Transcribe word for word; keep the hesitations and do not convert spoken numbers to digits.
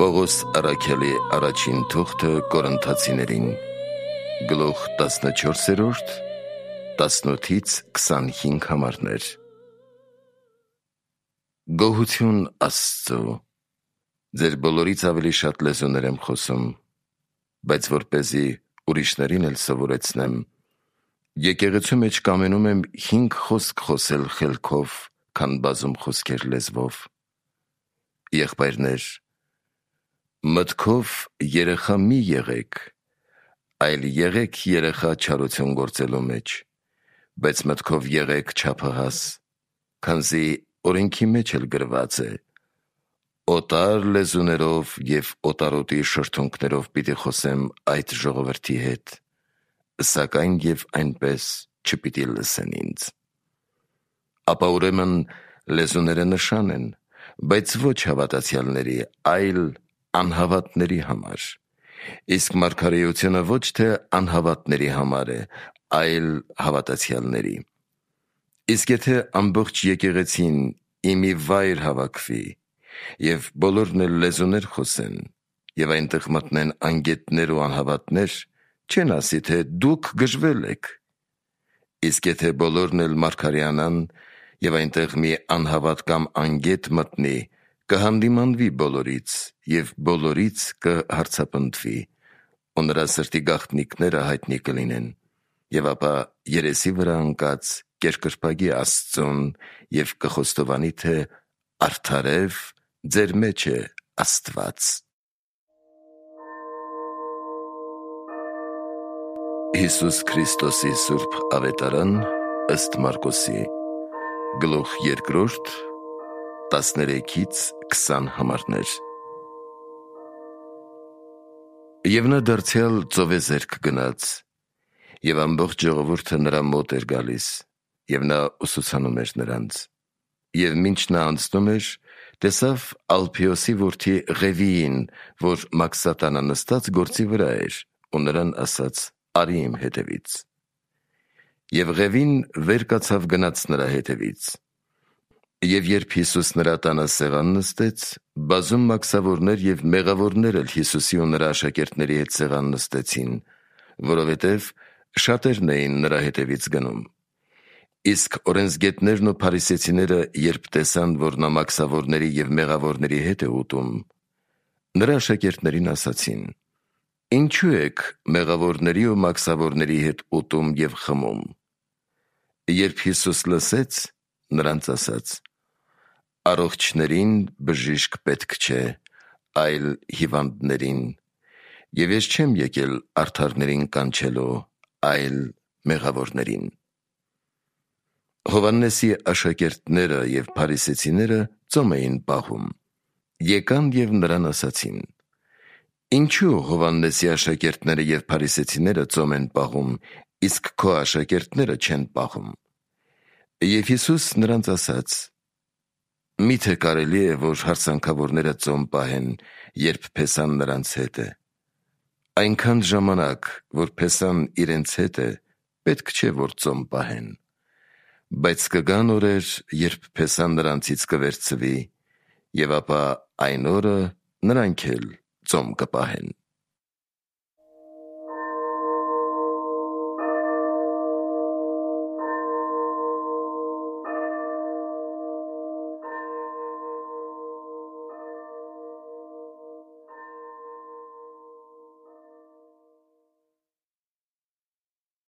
Պողոս առաքյալի առաջին թուղթը Կորինթացիներին, գլուխ տասնչորսերորդ, տասնութից քսանհինգ համարներ։ Գոհություն Աստծո, ձեր բոլորից ավելի շատ լեզուներ եմ խոսում, բայց որպեսզի ուրիշներին էլ սովորեցնեմ, եկեղեցու մեջ կամենում եմ հինգ խոսք խոսել խելքով, քան բազում խոսքեր լեզվով։ Եղբայրներ, մտքով երեխա մի եղեք, այլ եղեք երեխա չարություն գործելու մեջ, բայց մտքով եղեք չափահաս, քանզի օրենքի մեջ էլ գրված է. օտար լեզուներով և օտարոտի շրթունքներով պիտի խոսեմ այդ ժողովրդի հետ, սակայն և այնպես չպիտի լսեն ինձ։ Ապա ուրեմն լեզուները նշան են, բայց ոչ հավատացյալների, այլ անհավատների համար, իսկ մարգարեությունը ոչ թե անհավատների համար է, այլ հավատացյալների։ Իսկ եթե ամբողջ եկեղեցին ի մի վայր հավաքվի, և բոլորն էլ լեզուներ խոսեն, և այնտեղ մտնեն անգետներ ու անհավատներ, չեն ասի, թե դուք գժվել եք։ Իսկ եթե բոլորն էլ մարգարեանան, և այնտեղ մի անհավատ կամ անգետ մտնի, կհանդիմանվի բոլորից, և բոլորից կհարձապնդվի, ու նրա սրտի գաղտնիքները հայտնի կլինեն, և ապա երեսի վրա ընկած կերկրպագի Աստծուն և կխոստովանի, թե արդարև ձեր մեջ է Աստված։ Հիսուս Քրիստոսի սուրբ ավետարան ըստ Մարկոսի, գլուխ երկրորդ, տասներեքից քսան համարներ։ Եվ նա դարձյալ ծովեզերք գնաց, և ամբողջ ժողովուրդը նրա մոտ էր գալիս, և նա ուսուցանում էր նրանց։ Եվ մինչ նա անցնում էր, տեսավ Ալփեոսի որդի Ղևիին, որ մաքսատանա նստած գործի վրա էր, ու նրան ասաց. «Արի իմ հետևից»։ Եվ Ղևին վեր կացավ գնաց նրա հետևից։ Եվ երբ Հիսուս նրա տանը սեղան նստեց, բազում մաքսավորներ և մեղավորներ էլ Հիսուսի ու նրա աշակերտների հետ սեղան նստեցին, որովհետև շատերն էին նրա հետևից գնում։ Իսկ օրենսգետներն ու փարիսեցիները, երբ տեսան, որ նա մաքսավորների և մեղավորների հետ է ուտում, նրա աշակերտներին ասացին. «Ինչու եք մեղավորների ու մաքսավորների հետ ուտում և խմում»։ Երբ Հիսուս լսեց, նրանց ասաց. «Առողջներին բժիշկ պետք չէ, այլ հիվանդներին, և ես չեմ եկել արդարներին կանչելու, այլ մեղավորներին»։ Հովհաննեսի աշակերտները և փարիսեցիները ծոմ էին պահում։ Եկան և նրան ասացին. «Ինչու Հովհաննեսի աշակերտները և փարիսեցիները ծոմ են պահում, իսկ քո աշակերտները չեն պահում»։ Եվ Հիսուս նրանց ասաց. «Մի՞թե կարելի է, որ հարցանքավորները ծոմ պահեն, երբ փեսան նրանց հետ է։ Այնքան ժամանակ, որ փեսան իրենց հետ է, պետք չէ, որ ծոմ պահեն։ Բայց կգան օրեր, երբ փեսան նրանցից կվերցվի, և ապա այն օրը նրանք էլ ծոմ կպահեն»։